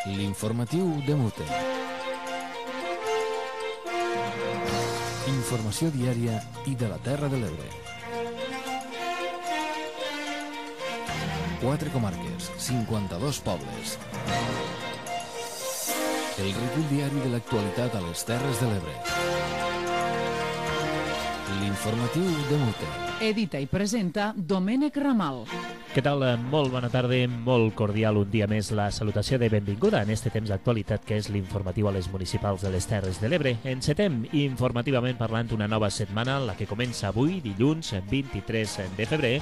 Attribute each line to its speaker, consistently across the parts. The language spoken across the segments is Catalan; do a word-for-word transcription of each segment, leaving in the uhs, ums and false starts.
Speaker 1: L'informatiu de Mute. Informació diària i de la Terra de l'Ebre. Quatre comarques, cinquanta-dos pobles. El recull diari de l'actualitat a les Terres de l'Ebre. L'informatiu de Mute.
Speaker 2: Edita i presenta Domènec Ramal.
Speaker 3: Què tal? Molt bona tarda, molt cordial un dia més la salutació de benvinguda en este temps d'actualitat que és l'informatiu a les municipals de les Terres de l'Ebre. Encetem informativament parlant una nova setmana, la que comença avui, dilluns vint-i-tres de febrer,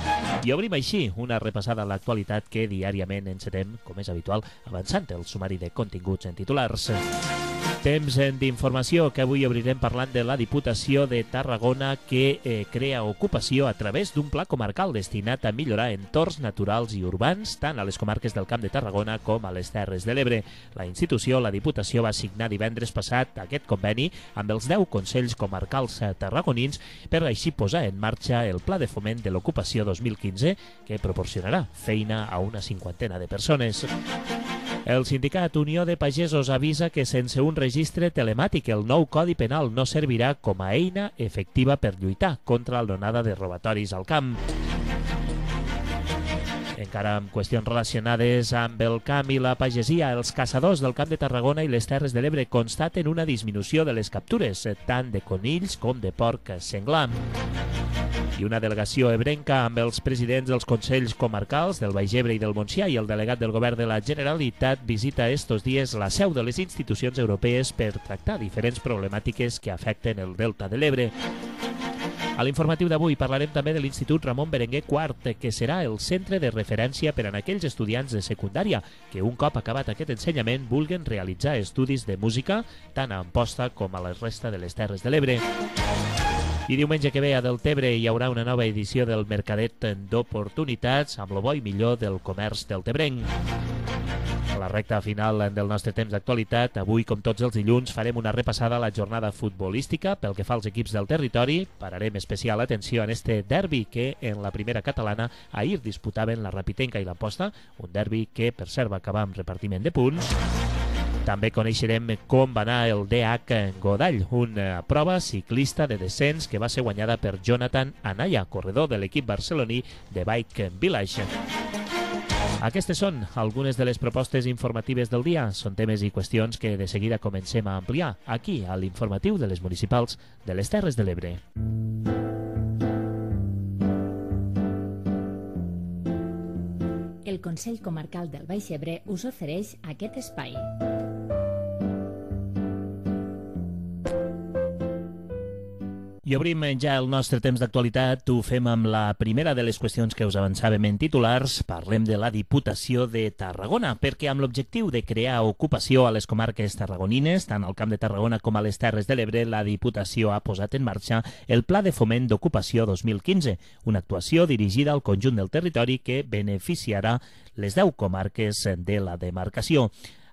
Speaker 3: i obrim així una repassada a l'actualitat que diàriament encetem, com és habitual, avançant el sumari de continguts en titulars. Temps d'informació que avui obrirem parlant de la Diputació de Tarragona que eh, crea ocupació a través d'un pla comarcal destinat a millorar entorns naturals i urbans tant a les comarques del Camp de Tarragona com a les Terres de l'Ebre. La institució, la Diputació, va signar divendres passat aquest conveni amb els deu consells comarcals tarragonins per així posar en marxa el Pla de Foment de l'Ocupació dos mil quinze que proporcionarà feina a una cinquantena de persones. El sindicat Unió de Pagesos avisa que sense un registre telemàtic el nou Codi Penal no servirà com a eina efectiva per lluitar contra l'onada de robatoris al camp. Encara amb qüestions relacionades amb el camp i la pagesia, els caçadors del Camp de Tarragona i les Terres de l'Ebre constaten una disminució de les captures, tant de conills com de porc senglar. I una delegació ebrenca amb els presidents dels consells comarcals del Baix Ebre i del Montsià i el delegat del govern de la Generalitat visita estos dies la seu de les institucions europees per tractar diferents problemàtiques que afecten el Delta de l'Ebre. A l'informatiu d'avui parlarem també de l'Institut Ramon Berenguer quart, que serà el centre de referència per a aquells estudiants de secundària que un cop acabat aquest ensenyament vulguen realitzar estudis de música tant a Amposta com a la resta de les Terres de l'Ebre. I diumenge que ve a Deltebre hi haurà una nova edició del Mercadet d'Oportunitats amb lo bo i millor del comerç deltebrenc. A la recta final del nostre temps d'actualitat, avui, com tots els dilluns, farem una repassada a la jornada futbolística pel que fa als equips del territori. Pararem especial atenció en este derbi que en la primera catalana ahir disputaven la Rapitenca i l'Amposta, un derbi que per cert va acabar amb repartiment de punts. També coneixerem com va anar el D H Godall, una prova ciclista de descens que va ser guanyada per Jonathan Anaya, corredor de l'equip barceloní de Bike Village. Aquestes són algunes de les propostes informatives del dia. Són temes i qüestions que de seguida comencem a ampliar aquí a l'informatiu de les municipals de les Terres de l'Ebre.
Speaker 4: El Consell Comarcal del Baix Ebre us ofereix aquest espai.
Speaker 3: I obrim ja el nostre temps d'actualitat. Ho fem amb la primera de les qüestions que us avançàvem en titulars. Parlem de la Diputació de Tarragona, perquè amb l'objectiu de crear ocupació a les comarques tarragonines, tant al Camp de Tarragona com a les Terres de l'Ebre, la Diputació ha posat en marxa el Pla de Foment d'Ocupació dos mil quinze, una actuació dirigida al conjunt del territori que beneficiarà les deu comarques de la demarcació.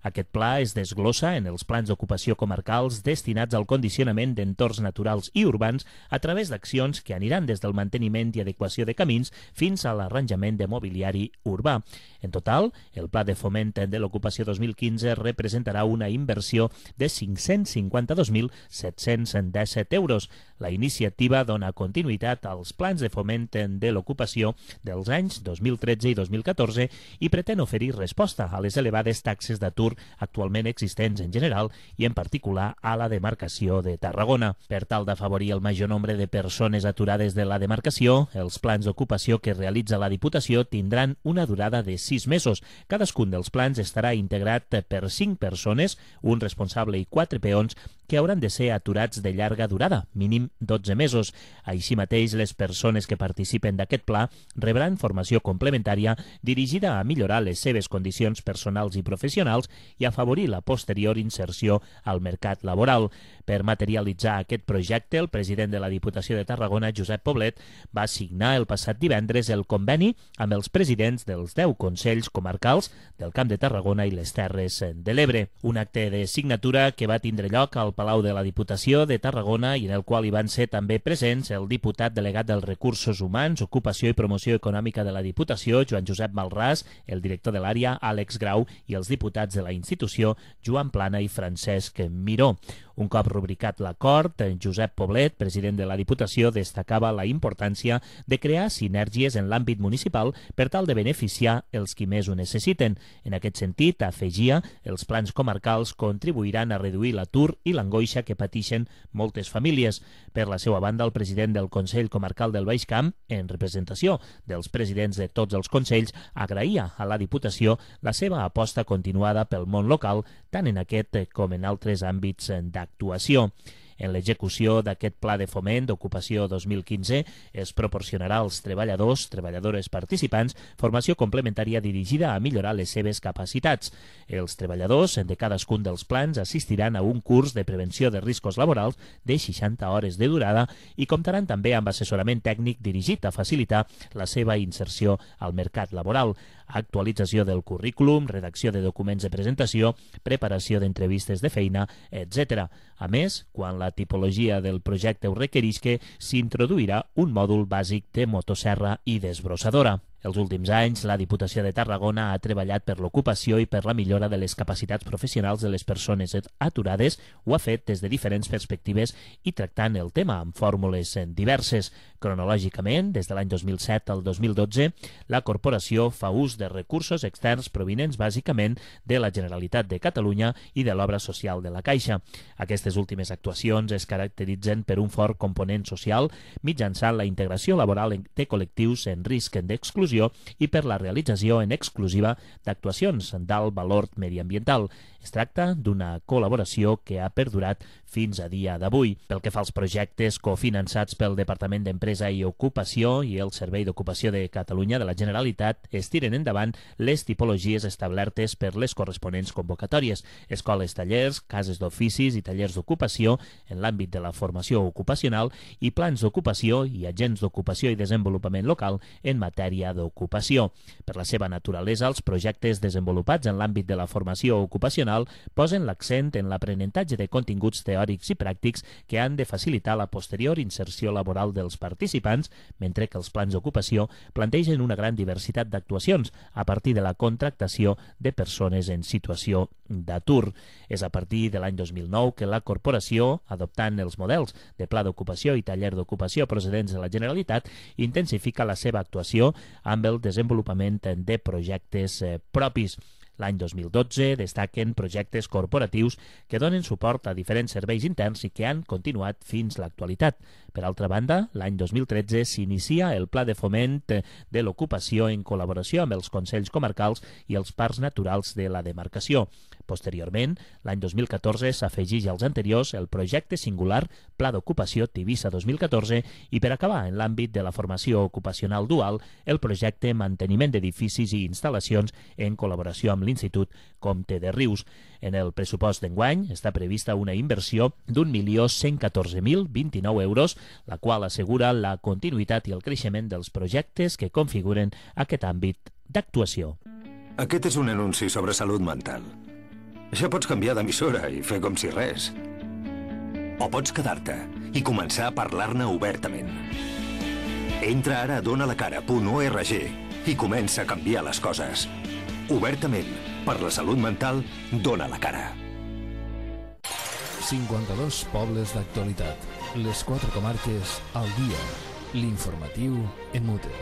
Speaker 3: Aquest pla es desglossa en els plans d'ocupació comarcals destinats al condicionament d'entorns naturals i urbans a través d'accions que aniran des del manteniment i adequació de camins fins a l'arranjament de mobiliari urbà. En total, el Pla de Foment de l'Ocupació dos mil quinze representarà una inversió de cinc-cents cinquanta-dos mil set-cents disset euros. La iniciativa dona continuïtat als plans de foment de l'ocupació dels anys dos mil tretze i dos mil catorze i pretén oferir resposta a les elevades taxes d'atur actualment existents en general i en particular a la demarcació de Tarragona. Per tal d'afavorir el major nombre de persones aturades de la demarcació, els plans d'ocupació que realitza la Diputació tindran una durada de sis mesos. Cadascun dels plans estarà integrat per cinc persones, un responsable i quatre peons que hauran de ser aturats de llarga durada, mínim dotze mesos. Així mateix, les persones que participen d'aquest pla rebran formació complementària dirigida a millorar les seves condicions personals i professionals i afavorir la posterior inserció al mercat laboral. Per materialitzar aquest projecte, el president de la Diputació de Tarragona, Josep Poblet, va signar el passat divendres el conveni amb els presidents dels deu consells comarcals del Camp de Tarragona i les Terres de l'Ebre. Un acte de signatura que va tindre lloc al Palau de la Diputació de Tarragona i en el qual hi van ser també presents el diputat delegat dels Recursos Humans, Ocupació i Promoció Econòmica de la Diputació, Joan Josep Malràs, el director de l'àrea, Àlex Grau, i els diputats de la institució, Joan Plana i Francesc Miró. Un cop rubricat l'acord, Josep Poblet, president de la Diputació, destacava la importància de crear sinergies en l'àmbit municipal per tal de beneficiar els qui més ho necessiten. En aquest sentit, afegia, els plans comarcals contribuiran a reduir l'atur i l'angoixa que pateixen moltes famílies. Per la seva banda, el president del Consell Comarcal del Baix Camp, en representació dels presidents de tots els consells, agraïa a la Diputació la seva aposta continuada pel món local, tant en aquest com en altres àmbits d'actuació. En l'execució d'aquest Pla de Foment d'Ocupació dos mil quinze es proporcionarà als treballadors, treballadores participants, formació complementària dirigida a millorar les seves capacitats. Els treballadors de cadascun dels plans assistiran a un curs de prevenció de riscos laborals de seixanta hores de durada i comptaran també amb assessorament tècnic dirigit a facilitar la seva inserció al mercat laboral, actualització del currículum, redacció de documents de presentació, preparació d'entrevistes de feina, etcètera. A més, quan la tipologia del projecte ho requerisca, s'introduirà un mòdul bàsic de motosserra i desbrossadora. Els últims anys, la Diputació de Tarragona ha treballat per l'ocupació i per la millora de les capacitats professionals de les persones aturades. Ho ha fet des de diferents perspectives i tractant el tema amb fórmules diverses. Cronològicament, des de l'any dos mil set al dos mil dotze, la corporació fa ús de recursos externs provinents bàsicament de la Generalitat de Catalunya i de l'obra social de la Caixa. Aquestes últimes actuacions es caracteritzen per un fort component social mitjançant la integració laboral de col·lectius en risc d'exclusió i per la realització en exclusiva d'actuacions d'alt valor mediambiental. Es tracta d'una col·laboració que ha perdurat fins a dia d'avui. Pel que fa als projectes cofinançats pel Departament d'Empresa i Ocupació i el Servei d'Ocupació de Catalunya de la Generalitat, es tiren endavant les tipologies establertes per les corresponents convocatòries: escoles, tallers, cases d'oficis i tallers d'ocupació en l'àmbit de la formació ocupacional i plans d'ocupació i agents d'ocupació i desenvolupament local en matèria d'ocupació. Per la seva naturalesa, els projectes desenvolupats en l'àmbit de la formació ocupacional posen l'accent en l'aprenentatge de continguts teòrics i pràctics que han de facilitar la posterior inserció laboral dels participants, mentre que els plans d'ocupació plantegen una gran diversitat d'actuacions a partir de la contractació de persones en situació d'atur. És a partir de l'any dos mil nou que la corporació, adoptant els models de pla d'ocupació i taller d'ocupació procedents de la Generalitat, intensifica la seva actuació amb el desenvolupament de projectes eh, propis. L'any dos mil dotze destaquen projectes corporatius que donen suport a diferents serveis interns i que han continuat fins l'actualitat. Per altra banda, l'any dos mil tretze s'inicia el Pla de Foment de l'Ocupació en col·laboració amb els Consells Comarcals i els Parcs Naturals de la demarcació. Posteriorment, l'any dos mil catorze s'afegeix als anteriors el projecte singular Pla d'Ocupació Tivissa dos mil catorze i, per acabar en l'àmbit de la formació ocupacional dual, el projecte Manteniment d'edificis i instal·lacions en col·laboració amb l'Institut Comte de Rius. En el pressupost d'enguany està prevista una inversió d'un milió cent catorze mil vint-i-nou euros, la qual assegura la continuïtat i el creixement dels projectes que configuren aquest àmbit d'actuació.
Speaker 5: Aquest és un anunci sobre salut mental. Ja pots canviar d'emissora i fer com si res. O pots quedar-te i començar a parlar-ne obertament. Entra ara a donalacara punt org i comença a canviar les coses. Obertament, per la salut mental, dona la cara.
Speaker 1: cinquanta-dos pobles d'actualitat. Les quatre comarques al dia. L'informatiu en mute.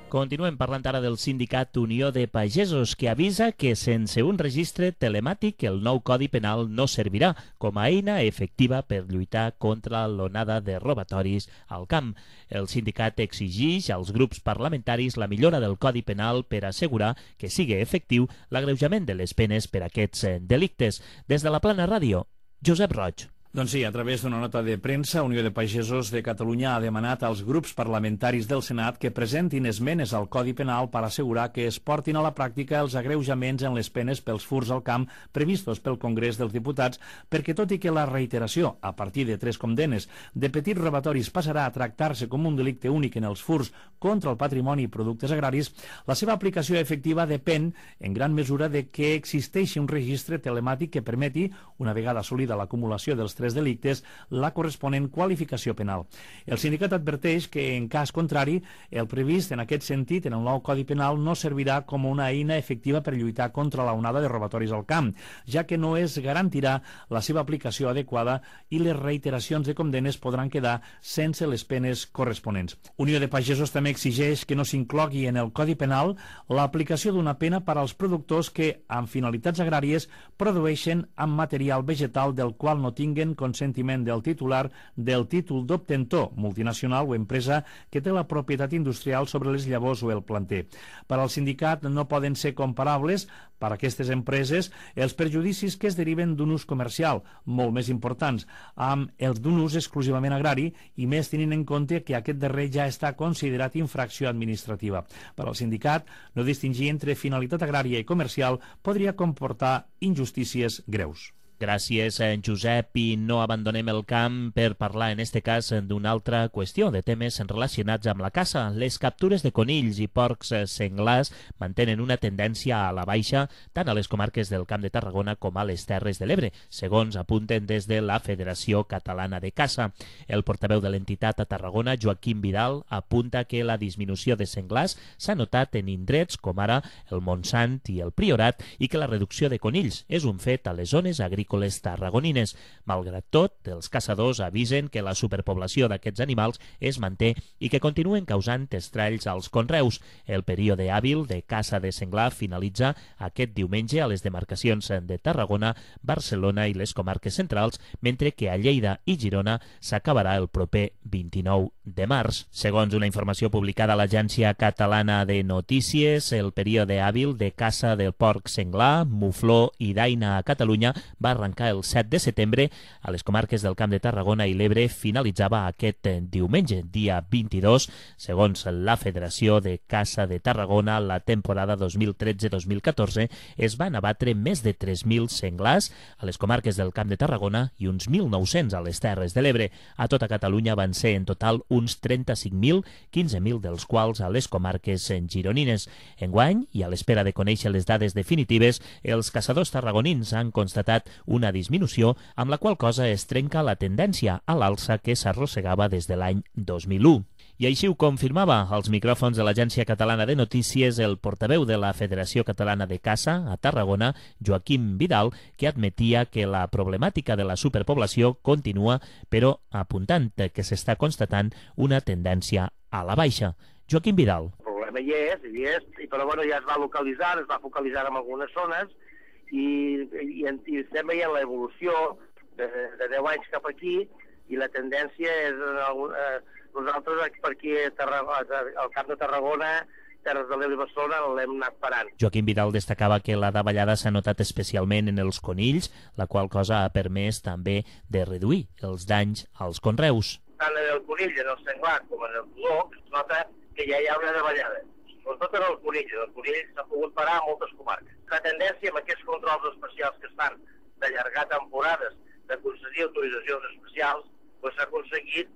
Speaker 3: Continuem parlant ara del sindicat Unió de Pagesos, que avisa que sense un registre telemàtic el nou Codi Penal no servirà com a eina efectiva per lluitar contra l'onada de robatoris al camp. El sindicat exigeix als grups parlamentaris la millora del Codi Penal per assegurar que sigui efectiu l'agreujament de les penes per aquests delictes. Des de la Plana Ràdio, Josep Roig.
Speaker 6: Doncs sí, a través d'una nota de premsa, Unió de Pagesos de Catalunya ha demanat als grups parlamentaris del Senat que presentin esmenes al Codi Penal per assegurar que es portin a la pràctica els agreujaments en les penes pels furts al camp previstos pel Congrés dels Diputats, perquè tot i que la reiteració, a partir de tres condemnes, de petits robatoris passarà a tractar-se com un delicte únic en els furts contra el patrimoni i productes agraris, la seva aplicació efectiva depèn, en gran mesura, de que existeixi un registre telemàtic que permeti, una vegada assolida l'acumulació dels tres delictes, la corresponent qualificació penal. El sindicat adverteix que, en cas contrari, el previst en aquest sentit en el nou Codi Penal no servirà com una eina efectiva per lluitar contra la onada de robatoris al camp, ja que no es garantirà la seva aplicació adequada i les reiteracions de condemnes podran quedar sense les penes corresponents. Unió de Pagesos també exigeix que no s'inclogui en el Codi Penal l'aplicació d'una pena per als productors que, amb finalitats agràries, produeixen amb material vegetal del qual no tinguen consentiment del titular del títol d'obtentor, multinacional o empresa que té la propietat industrial sobre les llavors o el planter. Per al sindicat no poden ser comparables per a aquestes empreses els perjudicis que es deriven d'un ús comercial, molt més importants, amb els d'un ús exclusivament agrari i més tenint en compte que aquest darrer ja està considerat infracció administrativa. Per al sindicat, no distingir entre finalitat agrària i comercial podria comportar injustícies greus.
Speaker 3: Gràcies, Josep, i no abandonem el camp per parlar, en este cas, d'una altra qüestió, de temes relacionats amb la caça. Les captures de conills i porcs senglars mantenen una tendència a la baixa tant a les comarques del Camp de Tarragona com a les Terres de l'Ebre, segons apunten des de la Federació Catalana de Caça. El portaveu de l'entitat a Tarragona, Joaquim Vidal, apunta que la disminució de senglars s'ha notat en indrets com ara el Montsant i el Priorat i que la reducció de conills és un fet a les zones agrícoles tarragonines. Malgrat tot, els caçadors avisen que la superpoblació d'aquests animals es manté i que continuen causant estralls als conreus. El període hàbil de caça de senglar finalitza aquest diumenge a les demarcacions de Tarragona, Barcelona i les comarques centrals, mentre que a Lleida i Girona s'acabarà el proper vint-i-nou de març. Segons una informació publicada a l'Agència Catalana de Notícies, el període hàbil de caça del porc senglar, mufló i daina a Catalunya va arrencar el set de setembre. A les comarques del Camp de Tarragona i l'Ebre finalitzava aquest diumenge, dia vint-i-dos. Segons la Federació de Caça de Tarragona, la temporada dos mil tretze dos mil catorze es van abatre més de tres mil senglars a les comarques del Camp de Tarragona i uns mil nou-cents a les Terres de l'Ebre. A tota Catalunya van ser en total uns trenta-cinc mil, quinze mil dels quals a les comarques gironines. Enguany, i a l'espera de conèixer les dades definitives, els caçadors tarragonins han constatat una disminució, amb la qual cosa es trenca la tendència a l'alça que s'arrossegava des de l'any dos mil u. I així ho confirmava als micròfons de l'Agència Catalana de Notícies el portaveu de la Federació Catalana de Caça a Tarragona, Joaquim Vidal, que admetia que la problemàtica de la superpoblació continua, però apuntant que s'està constatant una tendència a la baixa. Joaquim Vidal.
Speaker 7: El problema hi és, hi és, però bueno, ja es va localitzar, es va focalitzar en algunes zones, i, i, i estem veient l'evolució de, de deu anys cap aquí i la tendència és eh, nosaltres per aquí al Camp de Tarragona, Terres de l'Ebre i Barcelona l'hem anat parant.
Speaker 3: Joaquim Vidal destacava que la davallada s'ha notat especialment en els conills, la qual cosa ha permès també de reduir els danys als conreus.
Speaker 7: Tant en el conill, en el senglar com en el color, es nota que ja hi ha una davallada. Sobretot en el conill. El conill s'ha pogut parar a moltes comarques. La tendència amb aquests controls especials que estan d'allargar temporades, de concedir autoritzacions especials, doncs s'ha aconseguit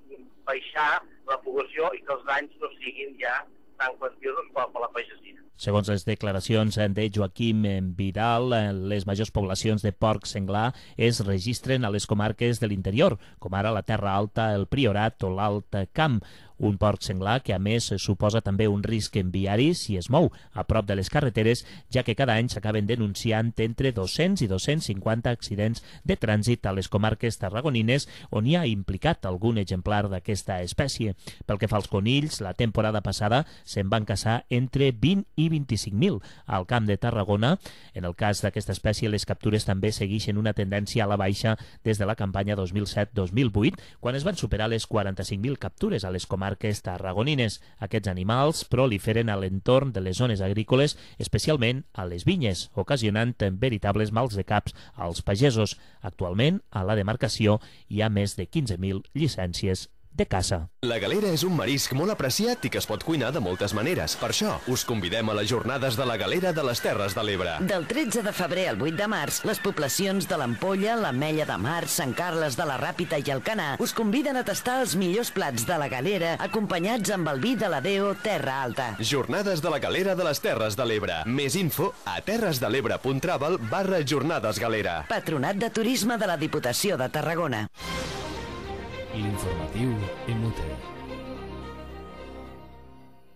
Speaker 7: baixar la població i que els danys no siguin ja tan quantiosos com per la pagesia.
Speaker 3: Segons les declaracions de Joaquim Vidal, les majors poblacions de porc senglar es registren a les comarques de l'interior, com ara la Terra Alta, el Priorat o l'Alt Camp. Un porc senglar que a més suposa també un risc en viari si es mou a prop de les carreteres, ja que cada any s'acaben denunciant entre dos-cents i dos-cents cinquanta accidents de trànsit a les comarques tarragonines on hi ha implicat algun exemplar d'aquesta espècie. Pel que fa als conills, la temporada passada se'n van caçar entre vint i vint-i-cinc mil al Camp de Tarragona. En el cas d'aquesta espècie, les captures també segueixen una tendència a la baixa des de la campanya dos mil set dos mil vuit, quan es van superar les quaranta-cinc mil captures a les comarques comarques tarragonines. Aquests animals proliferen a l'entorn de les zones agrícoles, especialment a les vinyes, ocasionant veritables mals de caps als pagesos. Actualment, a la demarcació hi ha més de quinze mil llicències de caça.
Speaker 8: La galera és un marisc molt apreciat i que es pot cuinar de moltes maneres. Per això, us convidem a les jornades de la galera de les Terres de l'Ebre.
Speaker 9: Del tretze de febrer al vuit de març, les poblacions de l'Ampolla, l'Ametlla de Mar, Sant Carles de la Ràpita i Alcanar us conviden a tastar els millors plats de la galera acompanyats amb el vi de la Deo Terra Alta.
Speaker 8: Jornades de la galera de les Terres de l'Ebre. Més info a terresdelebre.travel barra jornades galera.
Speaker 9: Patronat de Turisme de la Diputació de Tarragona.
Speaker 1: L'informatiu en mute.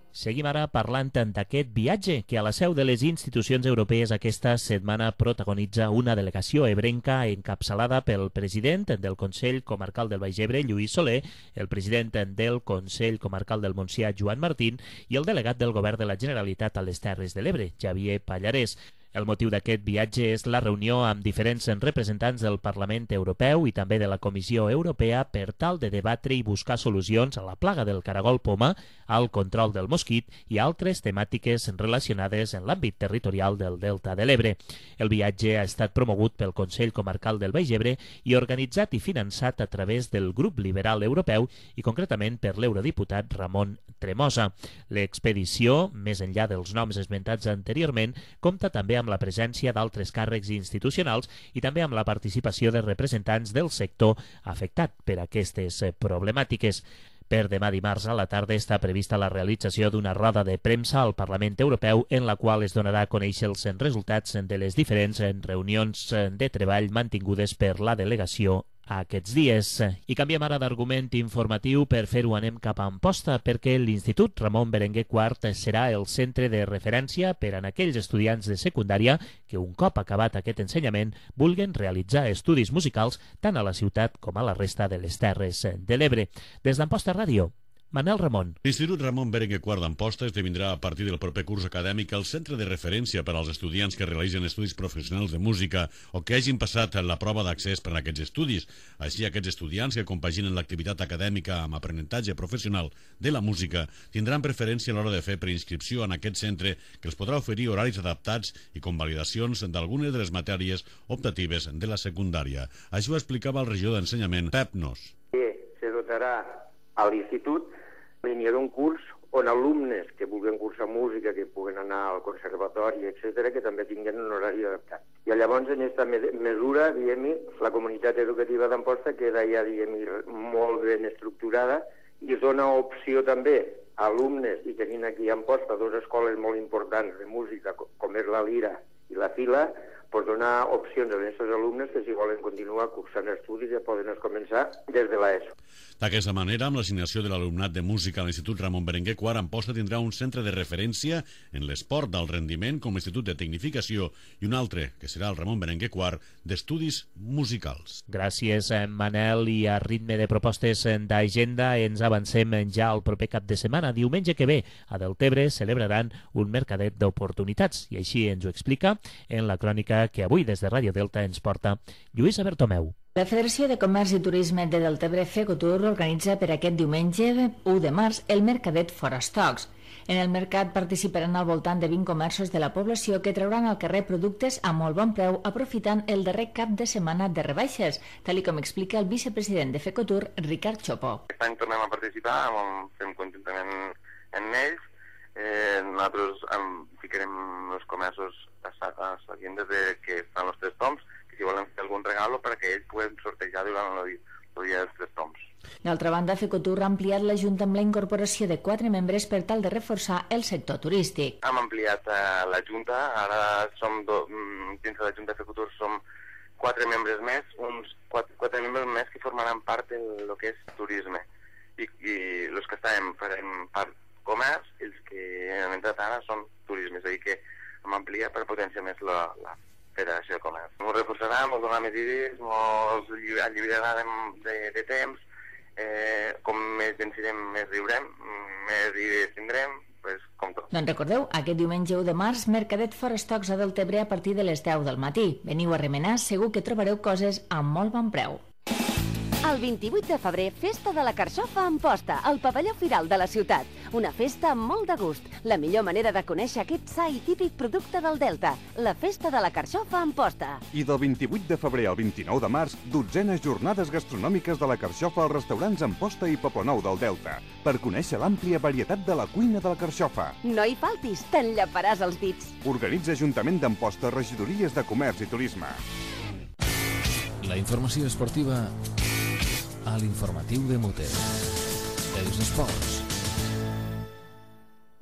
Speaker 3: Seguim ara parlant d'aquest viatge que a la seu de les institucions europees aquesta setmana protagonitza una delegació ebrenca encapçalada pel president del Consell Comarcal del Baix Ebre, Lluís Soler, el president del Consell Comarcal del Montsià, Joan Martín, i el delegat del Govern de la Generalitat a les Terres de l'Ebre, Xavier Pallarès. El motiu d'aquest viatge és la reunió amb diferents representants del Parlament Europeu i també de la Comissió Europea per tal de debatre i buscar solucions a la plaga del caragol poma, al control del mosquit i altres temàtiques relacionades en l'àmbit territorial del Delta de l'Ebre. El viatge ha estat promogut pel Consell Comarcal del Baix Ebre i organitzat i finançat a través del Grup Liberal Europeu i concretament per l'eurodiputat Ramon Tremosa. L'expedició, més enllà dels noms esmentats anteriorment, compta també amb la presència d'altres càrrecs institucionals i també amb la participació de representants del sector afectat per aquestes problemàtiques. Per demà dimarts a la tarda està prevista la realització d'una roda de premsa al Parlament Europeu en la qual es donarà a conèixer els resultats de les diferents reunions de treball mantingudes per la delegació aquests dies. I canviem ara d'argument informatiu. Per fer-ho anem cap a Amposta, perquè l'Institut Ramon Berenguer quart serà el centre de referència per a aquells estudiants de secundària que un cop acabat aquest ensenyament vulguen realitzar estudis musicals tant a la ciutat com a la resta de les Terres de l'Ebre. Des d'Amposta Ràdio, Manel Ramon.
Speaker 10: L'Institut Ramon Berenguer quart d'Amposta esdevindrà a partir del proper curs acadèmic el centre de referència per als estudiants que realitzen estudis professionals de música o que hagin passat la prova d'accés per a aquests estudis. Així, aquests estudiants que compaginen l'activitat acadèmica amb aprenentatge professional de la música tindran preferència a l'hora de fer preinscripció en aquest centre, que els podrà oferir horaris adaptats i convalidacions d'algunes de les matèries optatives de la secundària. Això ho explicava el regidor d'Ensenyament, Pep Nos.
Speaker 11: Se dotarà a l'institut línia d'un curs on alumnes que vulguin cursar música, que puguen anar al conservatori, etcètera, que també tinguin un horari adaptat. I llavors, en aquesta mesura, diguem-hi, la comunitat educativa d'Amposta queda ja, diguem-hi, molt ben estructurada i es dona opció també a alumnes, i tenint aquí a Amposta dues escoles molt importants de música, com és la Lira i la Fila, per donar opcions a aquests alumnes que si volen continuar cursant estudis ja poden començar des de l'ESO.
Speaker 10: D'aquesta manera, amb l'assignació de l'alumnat de música a l'Institut Ramon Berenguer quart, Amposta tindrà un centre de referència en l'esport d'alt rendiment com a institut de tecnificació i un altre, que serà el Ramon Berenguer quart, d'estudis musicals.
Speaker 3: Gràcies, Manel, i a ritme de propostes d'agenda ens avancem ja al proper cap de setmana. Diumenge que ve, a Deltebre celebraran un mercadet d'oportunitats i així ens ho explica en la crònica que avui des de Ràdio Delta ens porta Lluïsa Bertomeu.
Speaker 12: La Federació de Comerç i Turisme de Deltebre, FECOTUR, organitza per aquest diumenge u de març el Mercadet Fora Stocks. En el mercat participaran al voltant de vint comerços de la població que trauran al carrer productes a molt bon preu aprofitant el darrer cap de setmana de rebaixes, tal com explica el vicepresident de FECOTUR, Ricard Chopó.
Speaker 13: Aquest any tornem a participar, fem conjuntament amb ells. Eh, nosaltres em ficarem els comerços a seguint des de que fan els tres toms, que si volen fer algun regalo perquè ells puguen sortejar durant el dia dels tres toms.
Speaker 12: D'altra banda, FECOTUR ha ampliat la Junta amb la incorporació de quatre membres per tal de reforçar el sector turístic.
Speaker 13: Hem ampliat eh, la Junta, ara som do, dins de la Junta de FECOTUR som quatre membres més, uns quatre, quatre membres més que formaran part del que és turisme. I, i els que estàvem farem part comerç, els que hem entrat ara són turisme, és a dir que hem ampliat per potenciar més la, la Federació de Comerç. Ens reforçarà, ens donarà més idees, ens alliberarà de, de, de temps, eh, com més vencirem, més riurem, més idees tindrem, pues, com tot.
Speaker 12: Doncs recordeu, aquest diumenge u de març, Mercadet Fora Stocks a Deltebre a partir de les deu del matí. Veniu a remenar, segur que trobareu coses a molt bon preu.
Speaker 14: El vint-i-vuit de febrer, Festa de la Carxofa a Amposta, al pavelló Firal de la ciutat. Una festa amb molt de gust. La millor manera de conèixer aquest sa i típic producte del Delta. La Festa de la Carxofa a Amposta.
Speaker 15: I del vint-i-vuit de febrer al vint-i-nou de març, dotzenes jornades gastronòmiques de la Carxofa als restaurants Amposta i Poblenou del Delta, per conèixer l'àmplia varietat de la cuina de la Carxofa.
Speaker 14: No hi faltis, t'enllaparàs els dits.
Speaker 15: Organitza Ajuntament d'Amposta, Regidories de Comerç i Turisme.
Speaker 1: La informació esportiva a l'informatiu de Muter. Els esports.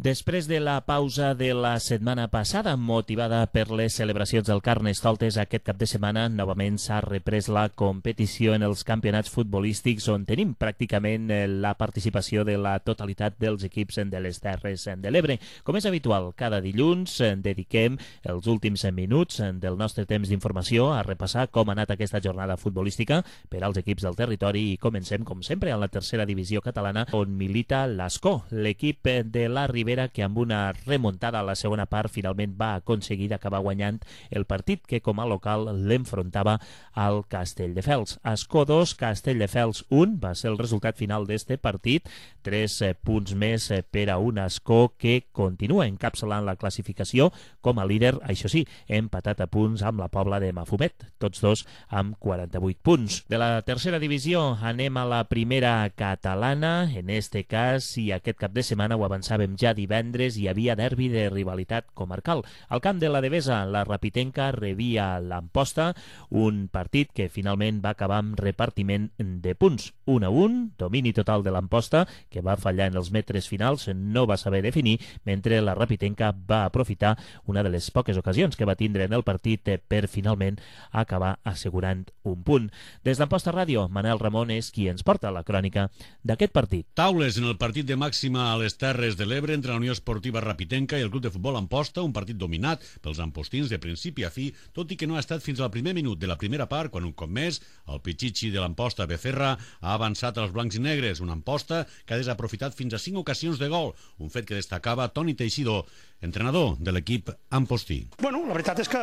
Speaker 3: Després de la pausa de la setmana passada, motivada per les celebracions del Carnestoltes, aquest cap de setmana novament s'ha reprès la competició en els campionats futbolístics, on tenim pràcticament la participació de la totalitat dels equips de les Terres de l'Ebre. Com és habitual, cada dilluns dediquem els últims minuts del nostre temps d'informació a repassar com ha anat aquesta jornada futbolística per als equips del territori, i comencem, com sempre, en la tercera divisió catalana, on milita l'Ascó, l'equip de la Ribera, que amb una remuntada a la segona part finalment va aconseguir acabar guanyant el partit que com a local l'enfrontava al Castelldefels. Ascó dos, Castelldefels un va ser el resultat final d'este partit. Tres punts més per a un Ascó que continua encapçalant la classificació com a líder, això sí, empatat a punts amb la Pobla de Mafumet, tots dos amb quaranta-vuit punts. De la tercera divisió anem a la primera catalana, en este cas, i aquest cap de setmana ho avançàvem ja divendres, hi havia derbi de rivalitat comarcal. Al camp de la Devesa, la Rapitenca rebia l'Amposta, un partit que finalment va acabar amb repartiment de punts. un a un, domini total de l'Amposta, que va fallar en els metres finals, no va saber definir, mentre la Rapitenca va aprofitar una de les poques ocasions que va tindre en el partit per finalment acabar assegurant un punt. Des d'Amposta Ràdio, Manel Ramon és qui ens porta la crònica d'aquest partit.
Speaker 10: Taules en el partit de màxima a les Terres de l'Ebre entre la Unió Esportiva Rapitenca i el Club de Futbol Amposta, un partit dominat pels ampostins de principi a fi, tot i que no ha estat fins al primer minut de la primera part, quan un cop més el Pichichi de l'Amposta Becerra ha avançat als blancs i negres, una Amposta que ha desaprofitat fins a cinc ocasions de gol, un fet que destacava Toni Teixidor, entrenador de l'equip ampostí.
Speaker 16: Bueno, la veritat és que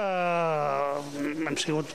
Speaker 16: hem sigut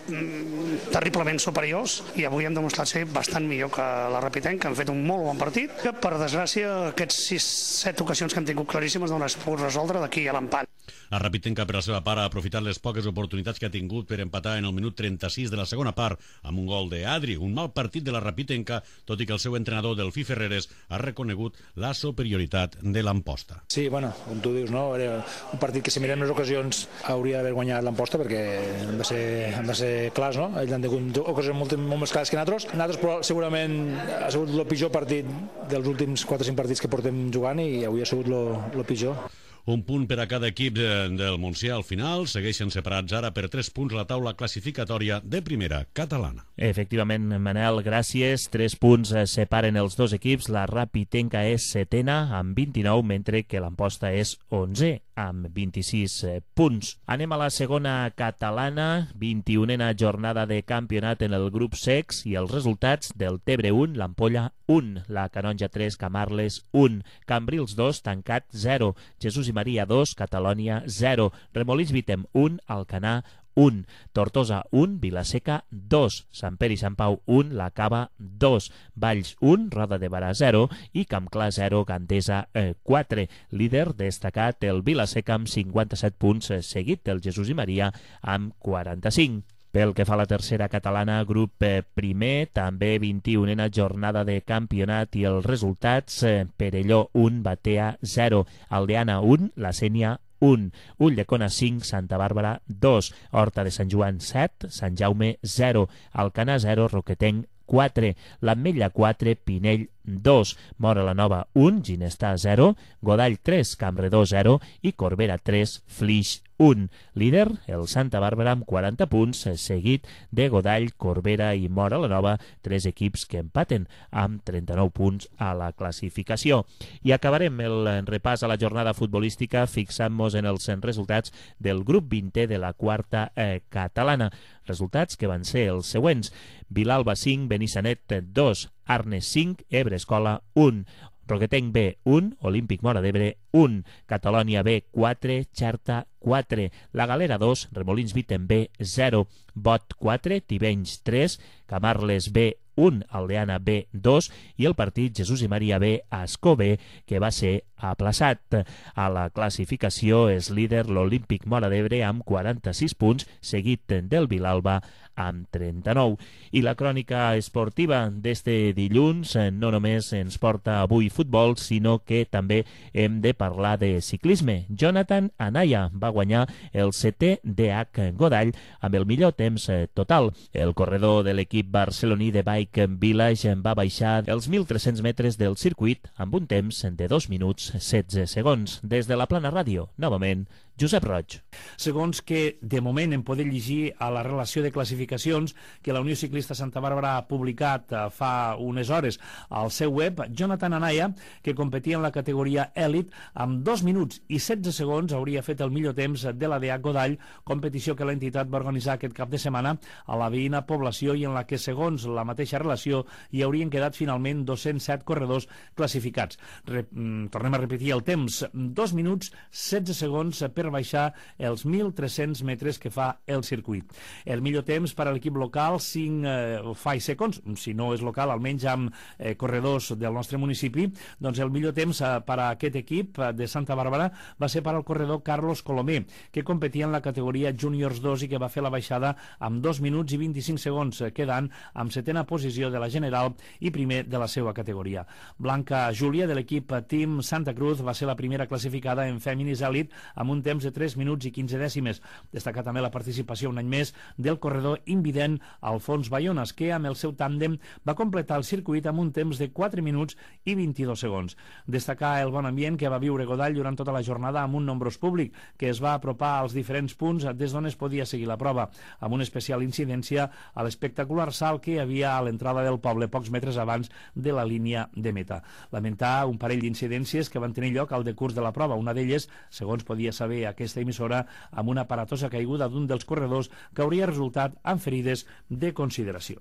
Speaker 16: terriblement superiors i avui hem demostrat ser bastant millor que la Rapitenca, que han fet un molt bon partit, que per desgràcia aquests sis set ocasions que hem tingut claríssimes no les puc resoldre d'aquí a l'empat.
Speaker 10: La Rapitenca, per la seva part, ha aprofitat les poques oportunitats que ha tingut per empatar en el minut trenta-sis de la segona part amb un gol d'Adri, un mal partit de la Rapitenca, tot i que el seu entrenador, Delfí Ferreres, ha reconegut la superioritat de l'Amposta.
Speaker 17: Sí, bueno, com tu dius, no? Era un partit que si mirem les ocasions hauria d'haver guanyat l'Amposta, perquè hem de ser, hem de ser clars, no? Ells han tingut ocasions molt, molt més clares que nosaltres. Nosaltres però segurament ha sigut el pitjor partit dels últims quatre o cinc partits que portem jugant i avui ha sigut el pitjor.
Speaker 10: Un punt per a cada equip del Montsià al final. Segueixen separats ara per tres punts a la taula classificatòria de primera catalana.
Speaker 3: Efectivament, Manel, gràcies. Tres punts separen els dos equips. La Rapitenca és setena amb vint-i-nou, mentre que l'Amposta és onzè amb vint-i-sis punts. Anem a la segona catalana, vint-i-unena jornada de campionat en el grup sex i els resultats del Tebre un, l'Ampolla un, la Canonja tres, Camarles un, Cambrils dos, Tancat zero, Jesús i Maria dos, Catalònia zero, Remolins Vitem un, Alcanar un, Tortosa un, Vilaseca dos, Sant Pere i Sant Pau un, La Cava dos, Valls un, Roda de Barà zero i Campclar zero, Gandesa quatre. Líder destacat el Vilaseca amb cinquanta-set punts, seguit del Jesús i Maria amb quaranta-cinc. Pel que fa a la tercera catalana, grup primer, també vint-i-unena jornada de campionat i els resultats: Perelló un, Batea zero, Aldeana un, La Sénia un, Ulldecona cinc, Santa Bàrbara dos, Horta de Sant Joan set, Sant Jaume zero, Alcanar zero, Roquetenc quatre, l'Ametlla quatre, Pinell dos, Móra la Nova un, Ginestar zero, Godall tres, Campredó zero i Corbera tres, Flix un. Líder, el Santa Bàrbara amb quaranta punts, seguit de Godall, Corbera i Móra la Nova, tres equips que empaten amb trenta-nou punts a la classificació. I acabarem el repàs a la jornada futbolística fixant-nos en els resultats del grup vintè de la quarta eh, catalana. Resultats que van ser els següents: Vilalba cinc, Benissanet dos, Arnes cinc, Ebre Escola un, Roquetenc B un, Olímpic Móra d'Ebre un, Catalònia B quatre, Xerta quatre, La Galera dos, Remolins Vitem B zero, Bot quatre, Tivenys tres, Camarles B un, Aldeana B dos, i el partit Jesús i Maria B Ascó B, que va ser aplaçat. A la classificació és líder l'Olímpic Móra d'Ebre amb quaranta-sis punts, seguit del Vilalba amb trenta-nou. I la crònica esportiva d'este dilluns no només ens porta avui futbol, sinó que també hem de parlar de ciclisme. Jonathan Anaya va guanyar el setè D H Godall amb el millor temps total. El corredor de l'equip barceloní de Bike Village va baixar els mil tres-cents metres del circuit amb un temps de dos minuts setze segons. Des de la Plana Ràdio, novament, Josep Roig.
Speaker 6: Segons que, de moment, em podem llegir a la relació de classificacions que la Unió Ciclista Santa Bàrbara ha publicat fa unes hores al seu web, Jonathan Anaya, que competia en la categoria Elite, amb dos minuts i setze segons hauria fet el millor temps de la D H Godall, competició que l'entitat va organitzar aquest cap de setmana a la veïna població i en la que, segons la mateixa relació, hi haurien quedat finalment dos-cents set corredors classificats. Re tornem a repetir el temps, dos minuts setze segons per baixar els mil tres-cents metres que fa el circuit. El millor temps per a l'equip local, cinc eh, five seconds, si no és local, almenys amb eh, corredors del nostre municipi, doncs el millor temps eh, per a aquest equip eh, de Santa Bàrbara va ser per al corredor Carlos Colomé, que competia en la categoria Juniors dos i que va fer la baixada amb dos minuts i vint-i-cinc segons, eh, quedant amb setena posició de la general i primer de la seva categoria. Blanca Júlia, de l'equip Team Santa Cruz, va ser la primera classificada en Feminis Elite amb un temps de tres minuts i quinze dècimes. Destacar també la participació un any més del corredor invident Alfons Bayonas, que amb el seu tàndem va completar el circuit amb un temps de quatre minuts i vint-i-dos segons. Destacar el bon ambient que va viure Godall durant tota la jornada amb un nombrós públic que es va apropar als diferents punts des d'on es podia seguir la prova, amb una especial incidència a l'espectacular salt que hi havia a l'entrada del poble pocs metres abans de la línia de meta. Lamentar un parell d'incidències que van tenir lloc al decurs de la prova, una d'elles, segons podia saber aquesta emissora, amb una aparatosa caiguda d'un dels corredors que hauria resultat en ferides de consideració.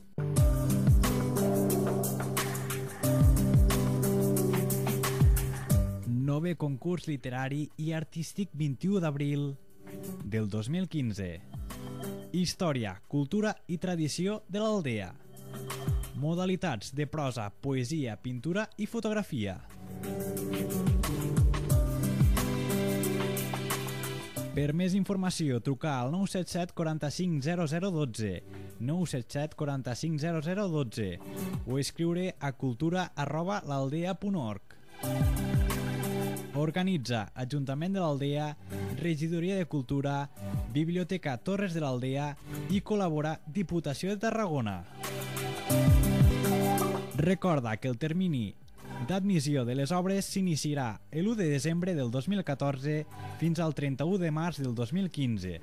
Speaker 18: Nové concurs literari i artístic vint-i-u d'abril del dos mil quinze. Història, cultura i tradició de l'Aldea. Modalitats de prosa, poesia, pintura i fotografia. Per més informació, trucar al nou set set quaranta-cinc zero zero dotze, nou set set quaranta-cinc zero zero dotze o escriure a cultura arroba l'aldea punt org. Organitza Ajuntament de l'Aldea, Regidoria de Cultura, Biblioteca Torres de l'Aldea i col·labora Diputació de Tarragona. Recorda que el termini d'admissió de les obres s'iniciarà l'u de desembre del dos mil catorze fins al trenta-u de març del dos mil quinze.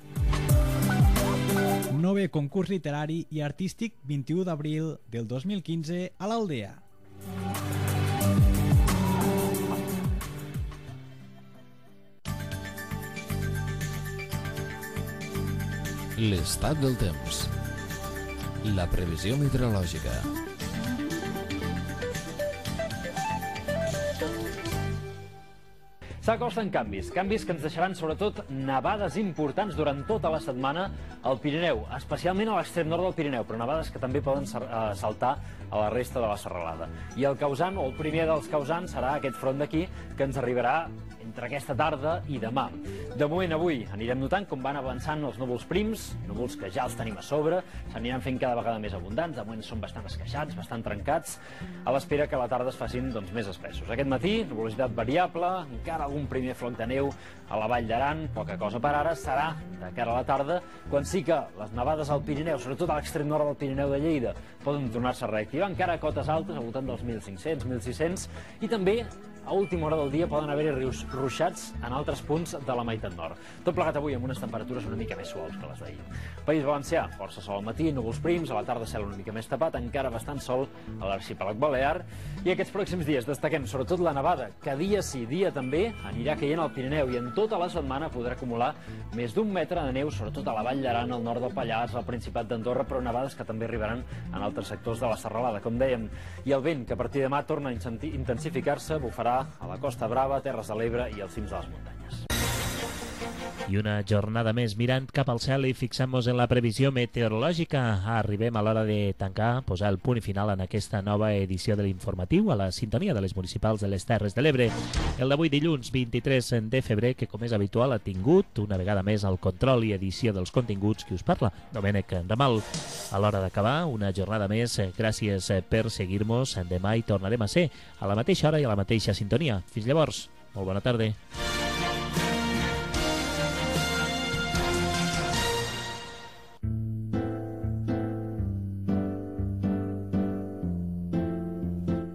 Speaker 18: Nové concurs literari i artístic vint-i-u d'abril del dos mil quinze a l'Aldea.
Speaker 1: L'estat del temps. La previsió meteorològica.
Speaker 19: S'acosten canvis, canvis que ens deixaran sobretot nevades importants durant tota la setmana al Pirineu, especialment a l'extrem nord del Pirineu, però nevades que també poden saltar a la resta de la serralada. I el causant, o el primer dels causants, serà aquest front d'aquí, que ens arribarà entre aquesta tarda i demà. De moment, avui anirem notant com van avançant els núvols prims, núvols que ja els tenim a sobre, s'aniran fent cada vegada més abundants, de moment són bastant esqueixats, bastant trencats, a l'espera que a la tarda es facin doncs, més espessos. Aquest matí, nuvolositat variable, encara algun primer floc de neu a la Vall d'Aran, poca cosa per ara, serà de cara a la tarda, quan sí que les nevades al Pirineu, sobretot a l'extrem nord del Pirineu de Lleida, poden tornar-se a reactivar, encara a cotes altes, al voltant dels mil cinc-cents, mil sis-cents, i també a última hora del dia poden haver-hi rius ruixats en altres punts de la meitat nord. Tot plegat avui amb unes temperatures una mica més suaus que les d'ahir. País Valencià, força sol al matí, núvols prims, a la tarda cel una mica més tapat, encara bastant sol a l'arxipèlag balear. I aquests pròxims dies destaquem sobretot la nevada, que dia sí, dia també anirà caient al Pirineu i en tota la setmana podrà acumular més d'un metre de neu, sobretot a la Vall d'Aran, al nord del Pallars, al Principat d'Andorra, però nevades que també arribaran en altres sectors de la serralada, com dèiem. I el vent, que a partir de demà torna a intensificar-se, bufarà a la Costa Brava, Terres de l'Ebre i als cims de les muntanyes.
Speaker 3: I una jornada més mirant cap al cel i fixant-nos en la previsió meteorològica. Arribem a l'hora de tancar, posar el punt final en aquesta nova edició de l'informatiu a la sintonia de les municipals de les Terres de l'Ebre. El d'avui dilluns vint-i-tres de febrer, que com és habitual ha tingut una vegada més el control i edició dels continguts que us parla, Domènec Ramal. A l'hora d'acabar, una jornada més, gràcies per seguir-nos. Demà hi tornarem a ser a la mateixa hora i a la mateixa sintonia. Fins llavors, molt bona tarda.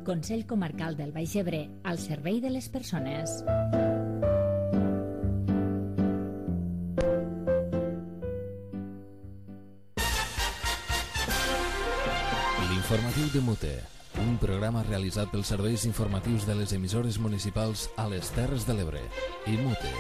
Speaker 4: Consell Comarcal del Baix Ebre, al servei de les persones.
Speaker 1: L'informatiu de Mute, un programa realitzat pels serveis informatius de les emissores municipals a les Terres de l'Ebre i Mute.